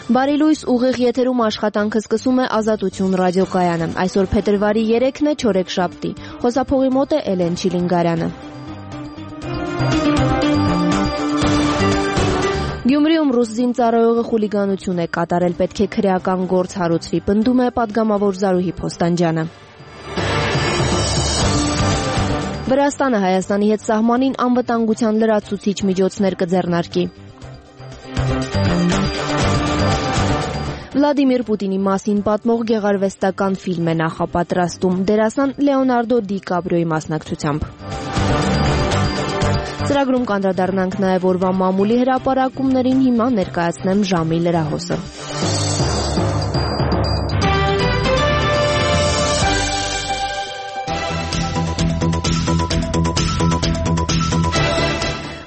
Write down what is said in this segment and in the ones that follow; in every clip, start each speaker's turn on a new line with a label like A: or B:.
A: Բարի լույս, ուղիղ եթերում աշխատանքը սկսում է Ազատություն ռադիոկայանը։ Այսօր փետրվարի 3-ն է, չորեքշաբթի։ Խոսափողի մոտ է Էլեն Չիլինգարյանը։ Գյումրիում ռուս զինծառայողը խուլիգանություն է կատարել, պետք է քրեական գործ հարուցվի, պնդում է պատգամավոր Զարուհի Փոստանջյանը։ Վրաստանը Հայաստանի հետ սահմանին անվտանգության լրացուցիչ միջոցներ կձեռնարկի։ Վլադիմիր Պուտինի մասին պատմող գեղարվեստական ֆիլմ է նախապատրաստում, դերասան Լեոնարդո Դի Կապրիոյի մասնակցությամբ։ Ծրագրում կանդրադառնանք նաև օրվա մամուլի հրապարակումներին, հիմա ներկայացնեմ ժամի լրահոսը։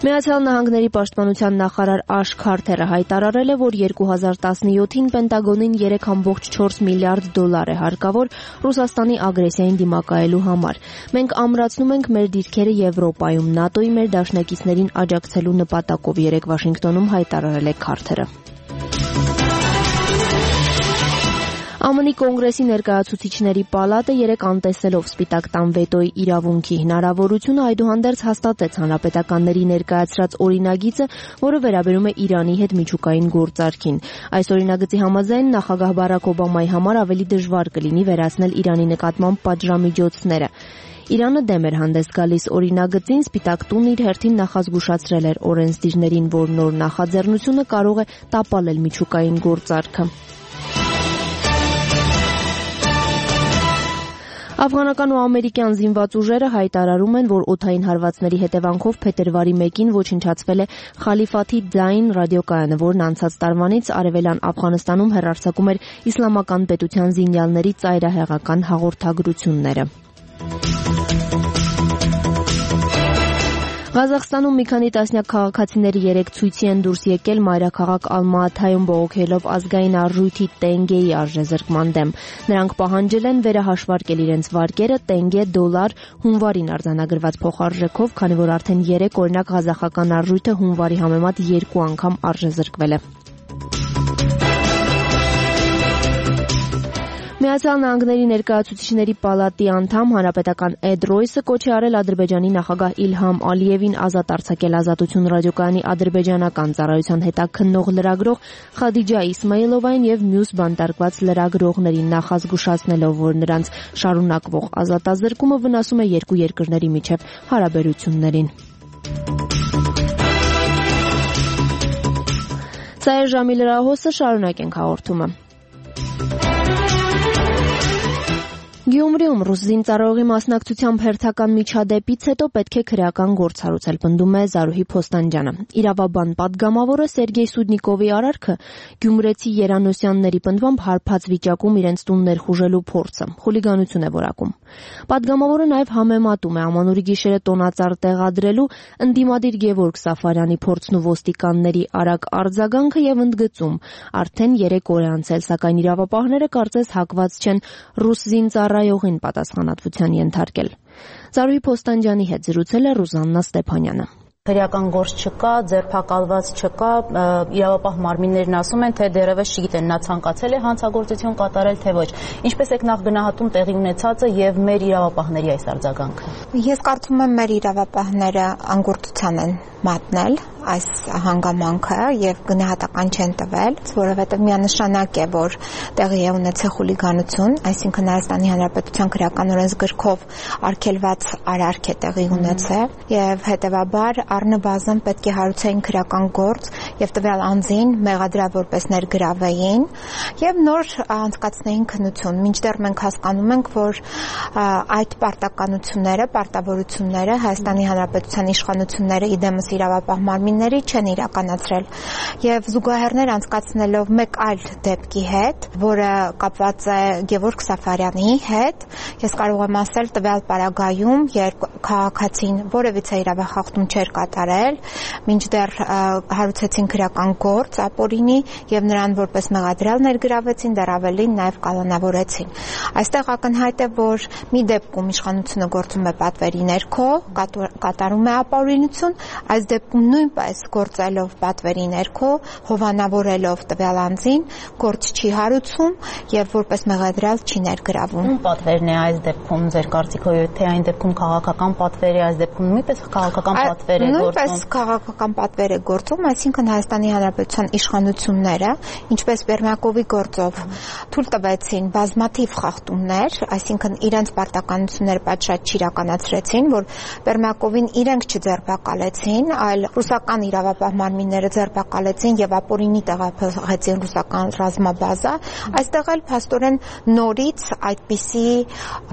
A: Միացյալ Նահանգների պաշտպանության նախարար Աշ Քարթերը հայտարարել է, որ 2017-ին Պենտագոնին 3.4 միլիարդ դոլար է հարկավոր Ռուսաստանի ագրեսիային դիմակայելու համար։ Մենք ամրացնում ենք մեր դիրքերը Եվրոպայում, ՆԱՏՕ-ի մեր դաշնակիցներին աջակցելու նպատակով, երեկ Վաշինգտոնում հայտարարել է Քարթերը։ ԱՄՆ-ի Կոնգրեսի ներկայացուցիչների պալատը երեկ անտեսելով Սպիտակ տան վետոյի իրավունքի հնարավորությունը այդուհանդերձ հաստատեց հանրապետականների ներկայացրած օրինագիծը, որը վերաբերում է Իրանի հետ միջուկային գործարքին։ Այս օրինագծի համաձայն նախագահ Բարաք Օբամայի համար ավելի դժվար կլինի վերացնել Իրանի նկատմամբ պատժամիջոցները։ Իրանը դեմ էր հանդես գալիս օրինագծին, Սպիտակ տունն իր հերթին նախազգուշացրել էր օրենսդիրներին, որ նոր նախաձեռնությունը կարող է տապալել միջուկային գործարքը։ Աֆղանական ու ամերիկյան զինված ուժերը հայտարարում են, որ օդային հարվածների հետևանքով փետրվարի 1-ին ոչնչացվել է Խալիֆաթի Ձայն ռադիոկայանը, որն անցած տարվանից արևելյան Աֆղանստանում հեռարձակում էր իսլամական պետության զինյալների ծայրահեղական հաղորդագրությունները։ Ղազախստանում մի քանի տասնյակ քաղաքացիների երեկ ցույցի են դուրս եկել մայրաքաղաք Ալմաաթայում բողոքելով ազգային արժույթի տենգեի արժեզրկման դեմ։ Նրանք պահանջել են վերահաշվարկել իրենց վարկերը տենգե դոլար հունվարին արձանագրված փոխարժեքով, քանի որ արդեն 3 օրինակ ղազախական արժույթը հունվարի համեմատ 2 անգամ արժեզրկվել է։ Միացյալ Նահանգների ներկայացուցիչների պալատի անդամ հանրապետական Էդ Ռոյսը կոչ է արել Ադրբեջանի նախագահ Իլհամ Ալիևին ազատ արձակել Ազատություն ռադիոկայանի ադրբեջանական ծառայության հետաքննող լրագրող Խադիջա Իսմայիլովային եւ մյուս բանտարկված լրագրողներին, նախազգուշացնելով, որ նրանց շարունակվող ազատազրկումը վնասում է երկու երկրների միջև հարաբերություններին։ Սա է ժամի լրահոսը, շարունակենք հաղորդումը։ Գյումրիում ռուս զինծառայողի մասնակցությամբ հերթական միջադեպից հետո պետք է քրեական գործ հարուցել, պնդում է Զարուհի Փոստանջյանը։ Իրավաբան պատգամավորը Սերգեյ Սուդնիկովի արարքը Գյումրեցի Երանոսյանների պնդմամբ հարբած վիճակում իրենց տուն ներխուժելու փորձը խուլիգանություն է որակում։ Պատգամավորը նաև համեմատում է ամանորի գիշերը տոնածառ տեղադրելու ընդդիմադիր Գևորգ Սաֆարյանի փորձն ու ոստիկանների արագ արձագանքը եւ ընդգծում. արդեն 3 օր է անցել, սակայն իրավապահները կարծես հակված չեն ռուս զինծառայողին պատասխանատվության ենթարկել։ Զարուհի Փոստանջյանի հետ զրուցել է Ռուզաննա Ստեփանյանը։
B: Քրեական գործ չկա, ձերբակալված չկա, իրավապահ մարմիններն ասում են, թե դեռևս չգիտեն նա ցանկացել է հանցագործություն կատարել, թե ոչ։ Ինչպես եք նախ գնահատում տեղի ունեցածը եւ մեր իրավապահների այս արձագանքը։
C: Ես կարծում եմ մեր իրավապահները անգործության են մատնել այս հանգամանքը եւ գնահատական չեն տվել, որովհետեւ միանշանակ է, որ տեղի է ունեցել խուլիգանություն, այսինքն Հայաստանի Հանրապետության քրեական օրենսգրքով արգելված արարք է տեղի ունեցել եւ հետեւաբար առնվազն պետք է հարուցեին քրեական գործ եւ տվյալ անձին մեղադրավ որպես ներգրավեին եւ նոր անցկացնեին քննություն։ Մինչդեռ մենք հասկանում ենք, որ այդ պարտականությունները, պարտավորությունները Հայաստանի Հանրապետության իշխանությունները իդեմս իրավապահ մարմինների չեն իրականացրել եւ զուգահեռներ անցկացնելով մեկ այլ դեպքի հետ, որը կապված է Գևորգ Սաֆարյանի հետ, ես կարող եմ ասել տվյալ պարագայում, երբ քաղաքացին որևիցե իրավախախտում չէր կատարել, մինչդեռ հարուցեցին քրեական գործ ապօրինի եւ նրան որպես մեղադրյալ ներգրավեցին, դեռ ավելին նաեւ կալանավորեցին։ Այստեղ ակնհայտ է, որ մի դեպքում իշխանությունը գործում է պատվերի ներքո, կատարում է ապօրինություն, այս այս դեպքում նույնպես գործելով պատվերի ներքո, հովանավորելով տվյալ անձին, գործ չի հարուցում եւ որպես մեղադրյալ չի ներգրավում։
B: Ում պատվերն է այս դեպքում ձեր կարծիքով, թե այն դեպքում քաղաքական պատվեր է, այս դեպքում նույնպես քաղաքական պատվեր է գործում։
C: Նույնպես քաղաքական պատվեր է գործում, այսինքն Հայաստանի Հանրապետության իշխանությունները, ինչպես Բերմյակովի գործով թույլ տվեցին բազմաթիվ խախտումներ, այսինքն իրենց պարտականությունները պատշաճ չիրականացրեցին, որ Բերմյակովին իրենք չձերբակալեցին, այլ ռուսական իրավապահ մարմինները ձերբակալեցին եւ ապօրինի տեղափոխեցին ռուսական ռազմաբազա, այստեղ էլ փաստորեն նորից այդպիսի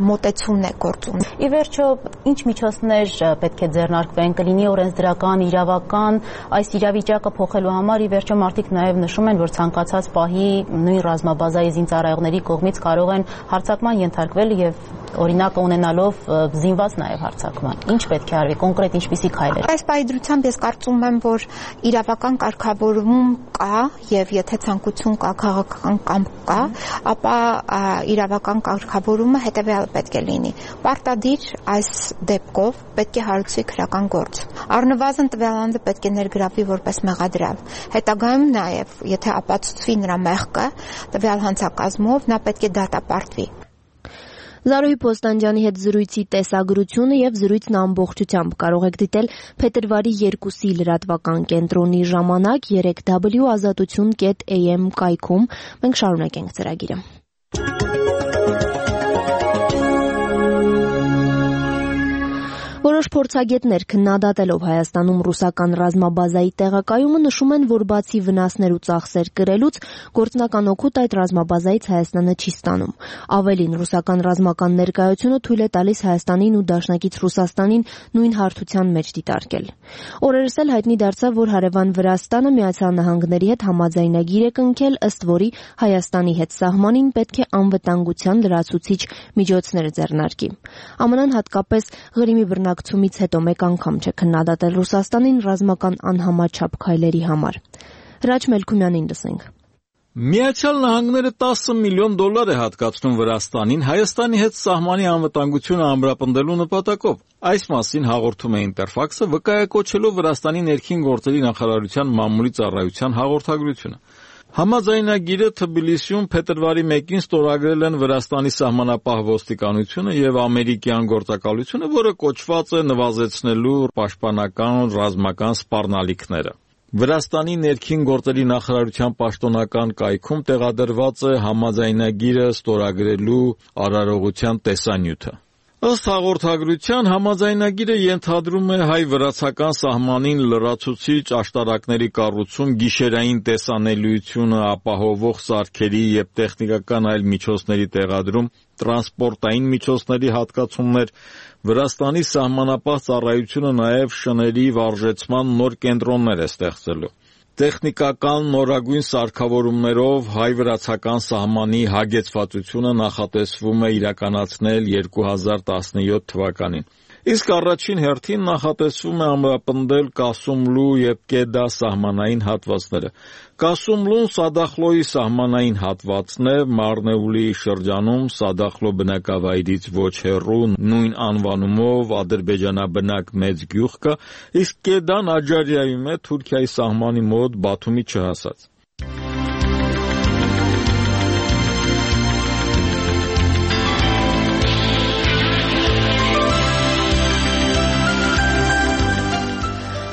C: մոտեցումն է գործում։
B: Ի վերջո, ինչ միջոցներ պետք է ձեռնարկվեն, կլինի օրենսդրական, իրավական, այս իրավիճակը փոխելու համար, ի վերջո մարդիկ նաև նշում են, որ ցանկացած պահի նույն ռազմաբազայի զինծառայողների կողմից կարող են հարձակման ենթարկվել եւ օրինակը ունենալով զինված նաև հարձակման։ Ինչ պետք է արվի, կոնկրետ ինչպիսի քայլեր։
C: Այս պայծրությամբ ես կարծում եմ, որ իրավական կարգավորում կա եւ եթե ցանկություն կա, քաղաքական կամք կա, ապա իրավական կարգավորումը հետեւյալը պետք է լինի։ Պարտադիր այս դեպքով պետք է հարուցվի քրական գործ։ Առնվազն տվյալ անձը պետք է ներգրավվի որպես մեղադրյալ։ Հետագայում նաև, եթե ապացուցվի նրա մեղքը տվյալ հանցակազմով, նա պետք է դատապարտվի։
A: Զարուհի Փոստանջյանի հետ զրույցի տեսագրությունը եւ զրույցն ամբողջությամբ կարող եք դիտել փետրվարի 2-ի լրատվական կենտրոնի ժամանակ 3w.azatutun.am կայքում։ Մենք շարունակենք ծրագիրը։ Որոշ փորձագետներ քննադատելով Հայաստանում ռուսական ռազմաբազայի տեղակայումը նշում են, որ բացի վնասներ ու ծախսեր կրելուց, գործնական օգուտ այդ ռազմաբազայից Հայաստանը չի ստանում։ Ավելին, ռուսական ռազմական ներկայությունը թույլ է տալիս Հայաստանին ու դաշնակից Ռուսաստանին նույն հարթության մեջ դիտարկել։ Օրերս էլ հայտնի դարձավ, որ հարևան Վրաստանը Միացյալ Նահանգների հետ համաձայնագիր է կնքել, ըստ որի Հայաստանի հետ սահմանին պետք է անվտանգության լրացուցիչ միջոցներ ձեռնարկի։ ԱՄՆ-ն հատկապես Ղրիմի բռնակցումից հետո մեկ անգամ չէ քննադատել Ռուսաստանին ռազմական անհամաչափ քայլերի համար։ Հրաչ Մելքումյանին լսենք։
D: Միացյալ Նահանգները $10 միլիոն է հատկացնում Վրաստանին Հայաստանի հետ սահմանի անվտանգությունը ամրապնդելու նպատակով։ Այս մասին հաղորդում է Ինտերֆաքսը, վկայակոչելով Վրաստանի ներքին գործերի նախարարության մամուլի ծառայության հաղորդագրությունը։ Համաձայնագիրը Թբիլիսիում փետրվարի 1-ին ստորագրել են Վրաստանի սահմանապահ ոստիկանությունը եւ ամերիկյան գործակալությունը, որը կոչված է նվազեցնելու պաշտպանական ռազմական սպառնալիքները։ Վրաստանի ներքին գործերի նախարարության պաշտոնական կայքում տեղադրված է համաձայնագիրը ստորագրելու արարողության տեսանյութը։ Ըստ հաղորդագրության, համաձայնագիրը ենթադրում է հայ-վրացական սահմանին լրացուցիչ աշտարակների կառուցում, գիշերային տեսանելիությունը ապահովող սարքերի եւ տեխնիկական այլ միջոցների տեղադրում, տրանսպորտային միջոցների հատկացումներ, Վրաստանի սահմանապահ ծառայությունը նաև շների վարժեցման նոր կենտրոններ է ստեղծելու։ Տեխնիկական նորագույն սարքավորումներով հայ-վրացական սահմանի հագեցվածությունը նախատեսվում է իրականացնել 2017 թվականին։ Իսկ առաջին հերթին նախատեսվում է ամրապնդել Կասումլու եւ Կեդա սահմանային հատվածները։ Կասումլուն Սադախլոյի սահմանային հատվածն է, Մարնեուլի շրջանում Սադախլո բնակավայրից ոչ հեռու նույն անվանումով ադրբեջանաբնակ մեծ գյուղ կա, իսկ Կեդան Աջարիայում է, Թուրքիայի սահմանի մոտ Բաթումի չհասած։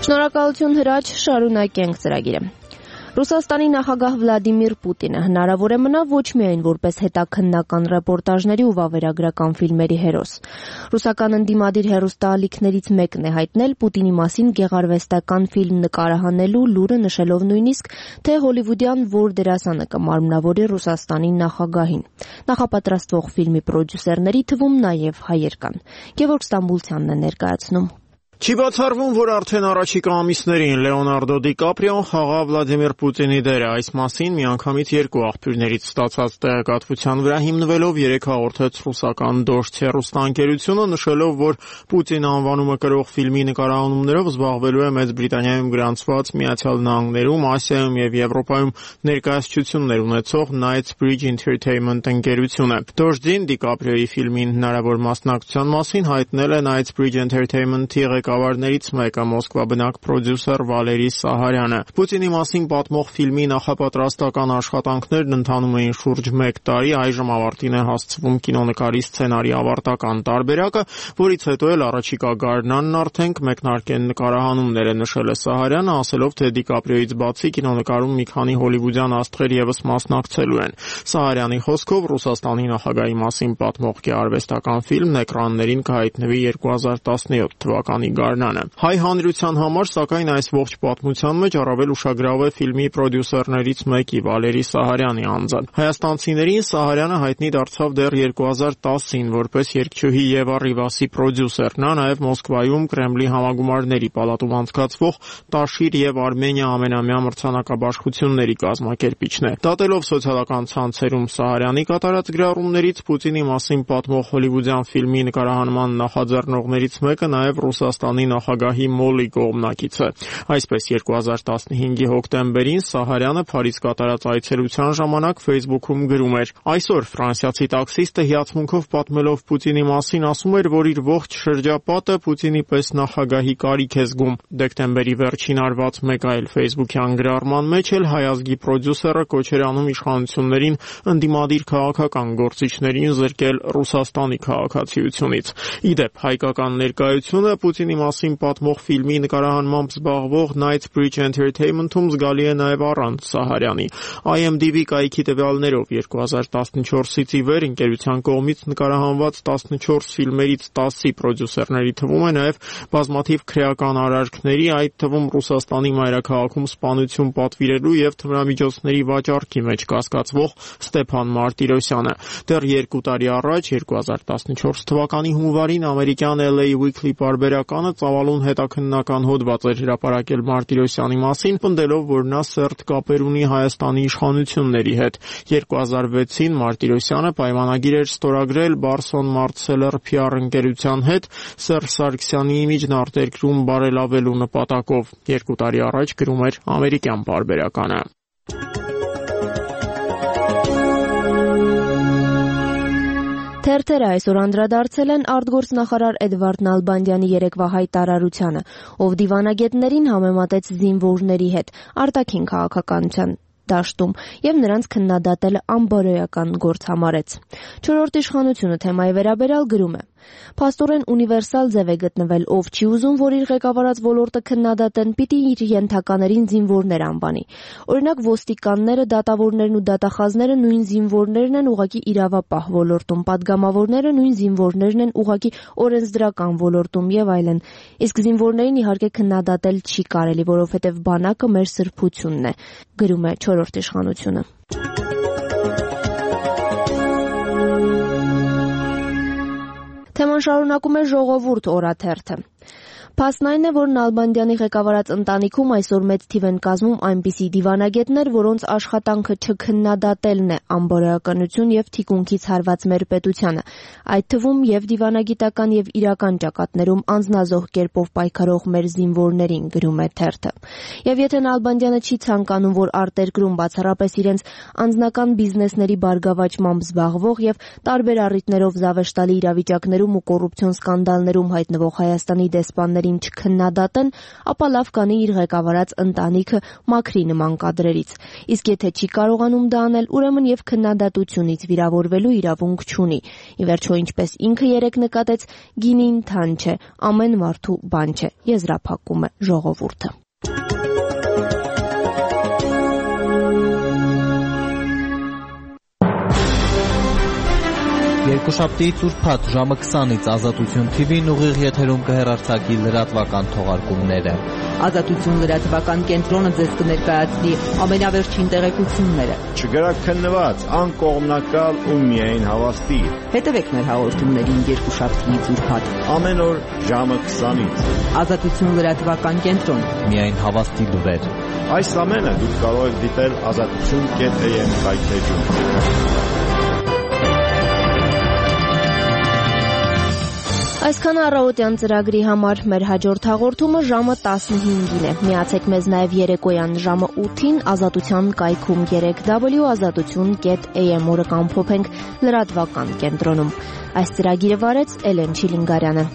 A: Շնորհակալություն Հրաչ, շարունակենք ծրագիրը։ Ռուսաստանի նախագահ Վլադիմիր Պուտինը հնարավոր է մնա ոչ միայն որպես հետաքննական ռեպորտաժների ու վավերագրական ֆիլմերի հերոս։ Ռուսական ընդդիմադիր հեռուստաալիքներից մեկն է հայտնել Պուտինի մասին գեղարվեստական ֆիլմ նկարահանելու լուրը, նշելով նույնիսկ, թե հոլիվուդյան որ դերասանը կմարմնավորի Ռուսաստանի նախագահին։ Նախապատրաստվող ֆիլմի պրոդյուսերների թվում նաև հայեր կան։ Գևորգ Ստամբուլցյանն է ներկայացնում։
E: Չի բացառվում, որ արդեն առաջիկա ամիսներին Լեոնարդո Դիկապրիոն խաղա Վլադիմիր Պուտինի դերը։ Այս մասին միանգամից երկու աղբյուրներից ստացած տեղեկատվության վրա հիմնվելով երեկ հաղորդեց ռուսական Դոշտե հեռուստաընկերությունը, նշելով, որ Պուտին անվանումը կրող ֆիլմի նկարահանումներով զբաղվելու է Մեծ Բրիտանիայում գրանցված Միացյալ Նահանգներում, Ասիայում եւ Եվրոպայում ներկայացություններ ունեցող Knightsbridge Entertainment ընկերությունը։ Դոշտին Դիկապրիոյի ֆիլմին հնարավոր մասնակցության մասին հայտնել է Knightsbridge Entertainment-ի ղեկավարներից մեկը Մոսկվա բնակ պրոդյուսեր Վալերի Սահարյանը։ Պուտինի մասին պատմող ֆիլմի նախապատրաստական աշխատանքներն ընթանում էին շուրջ 1 տարի, այժմ ավարտին է հասցվում կինոնկարի սցենարի ավարտական տարբերակը, որից հետո էլ առաջիկա գարնանն արդեն մեկնարկեն նկարահանումները, նշել է Սահարյանը, ասելով, թե Դիկապրիոյից բացի կինոնկարում մի քանի հոլիվուդյան աստղեր եւս մասնակցելու են։ Սահարյանի խոսքով Ռուսաստանի նախագահի մասին պատմող գեղարվեստական ֆիլմն էկրաններին կհայտնվի 2017 թվականի գարնանը։ Հայ հանրության համար, սակայն, այս ողջ պատմության մեջ առավել ուշագրավ է ֆիլմի պրոդյուսերներից մեկի Վալերի Սահարյանի անձը։ Հայաստանցիներին Սահարյանը հայտնի դարձավ դեռ 2010-ին որպես երգչուհի Եվա Ռիվասի պրոդյուսեր։ Նա նաև Մոսկվայում Կրեմլի համագումարների պալատում անցկացվող Տաշիր եւ Արմենիա ամենամյա մրցանակաբաշխությունների կազմակերպիչն է։ Դատելով սոցիալական ցանցերում Սահարյանի կատարած գրառումներից, Պուտինի մասին պատմող հոլիվուդյան ֆիլմի նկարահանման նախաձեռնողներից մեկը նաև Ռուսաստանի նախագահի մոլի կողմնակից է։ Այսպես 2015-ի հոկտեմբերին Սահարյանը Փարիզ կատարած այցելության ժամանակ Facebook-ում գրում էր. «Այսօր ֆրանսիացի տաքսիստը հիացմունքով պատմելով Պուտինի մասին ասում էր, որ իր ողջ շրջապատը Պուտինի պես նախագահի կարիք է զգում»։ Դեկտեմբերի վերջին արված մեկ այլ Facebook-յան գրառման մեջ էլ հայ ազգի պրոդյուսերը կոչ էր անում իշխանություններին ընդդիմադիր քաղաքական գործիչներին զրկել Ռուսաստանի քաղաքացիությունից։ Իդեպ, հայկական ներկայությունը Պուտինի մասին պատմող ֆիլմի նկարահանմամբ զբաղվող Knightsbridge Entertainment-ում զգալի է նաև առանց Սահարյանի։ IMDb կայքի տվյալներով 2014-ից ի վեր ընկերության կողմից նկարահանված 14 ֆիլմերից 10-ի պրոդյուսերների թվում է նաև բազմաթիվ քրեական արարքների, այդ թվում Ռուսաստանի մայրաքաղաքում սպանություն պատվիրելու եւ թմրամիջոցների վաճառքի մեջ կասկածվող Ստեփան Մարտիրոսյանը։ Դեռ 2 տարի առաջ, 2014 թվականի հունվարին ամերիկյան LA Weekly պարբերականը ծավալուն հետաքննական հոդված էր հրապարակել Մարտիրոսյանի մասին, պնդելով, որ նա սերտ կապեր ունի Հայաստանի իշխանությունների հետ։ 2006-ին Մարտիրոսյանը պայմանագիր էր ստորագրել Barson Martseller PR ընկերության հետ Սերժ Սարգսյանի իմիջն արտերկրում բարելավելու նպատակով։ 2 տարի առաջ գրում էր ամերիկյան պարբերականը։
A: Թերթերը այսօր անդրադարձել են արտգործնախարար Էդվարդ Նալբանդյանի երեկվա հայտարարությանը, ով դիվանագետներին համեմատեց զինվորների հետ արտաքին քաղաքականության դաշտում եւ նրանց քննադատել անբարոյական գործ համարեց։ Չորրորդ իշխանությունը թեմայի վերաբերյալ գրում է. «Փաստորեն ունիվերսալ ձև է գտնվել, ով չի ուզում, որ իր ղեկավարած ոլորտը քննադատեն, պիտի իր ենթականերին զինվորներ անվանի։ Օրինակ ոստիկանները, դատավորներն ու դատախազները նույն զինվորներն են ուղղակի իրավապահ ոլորտում, падգամավորները նույն զինվորներն են ուղղակի օրենսդրական ոլորտում եւ այլն։ Իսկ զինվորներին իհարկե քննադատել չի կարելի, որովհետեւ բանակը մեր սրբությունն է», գրում է չորրորդ իշխանությունը։ Թեման շարունակում է Ժողովուրդ օրաթերթը։ Փաստն այն է, որ Նալբանդյանի ղեկավարած ընտանիքում այսօր մեծ թիվ են կազմում այնպիսի դիվանագետներ, որոնց աշխատանքը չքննադատելն է անբարոյականություն եւ թիկունքից հարված մեր պետությանը, այդ թվում եւ դիվանագիտական եւ իրական ճակատներում անձնազոհ կերպով պայքարող մեր զինվորներին, գրում է թերթը։ Եվ եթե Նալբանդյանը չի ցանկանում, որ արտերկրում բացառապես իրենց անձնական բիզնեսների բարգավաճմամբ զբաղվող եւ տարբեր առիթներով զավեշտալի իրավիճակներում ու կոռուպցիոն սկանդալներում հայտնվող Հայաստանի դեսպանների չքննադատեն, ապա լավ կանի իր ղեկավարած ընտանիքը մաքրի նման կադրերից։ Իսկ եթե չի կարողանում դա անել, ուրեմն եւ քննադատությունից վիրավորվելու իրավունք չունի։ Ի վերջո, ինչպես ինքը երեկ նկատեց, գինին թան չէ, ամեն մարդու բան չէ, եզրափակում է Ժողովուրդը։
F: Երկուշաբթիից ուրբաթ ժամը 20-ից Ազատություն TV-ն ուղիղ եթերում կհեռարձակի լրատվական թողարկումները։
G: Ազատություն լրատվական կենտրոնը ձեզ կներկայացնի ամենավերջին տեղեկությունները։
H: Չգրաքննված, անկողմնակալ ու միայն հավաստի։
G: Հետևեք մեր հաղորդումներին երկուշաբթիից ուրբաթ
H: ամեն օր ժամը 20-ից։
G: Ազատություն լրատվական կենտրոն։
F: Միայն հավաստի լուրեր։
H: Այս ամենը դուք կարող եք դիտել azatutun.am կայքեջում։
A: Այսքան առավոտյան ծրագրի համար մեր հաջորդ հաղորդումը ժամը 15-ին է։ Միացեք մեզ նաև երեկոյան ժամը 8-ին Ազատության կայքում 3w.azatutun.am օրը կամփոփենք լրատվական կենտրոնում։ Այս ծրագիրը վարեց Էլեն Չիլինգարյանը։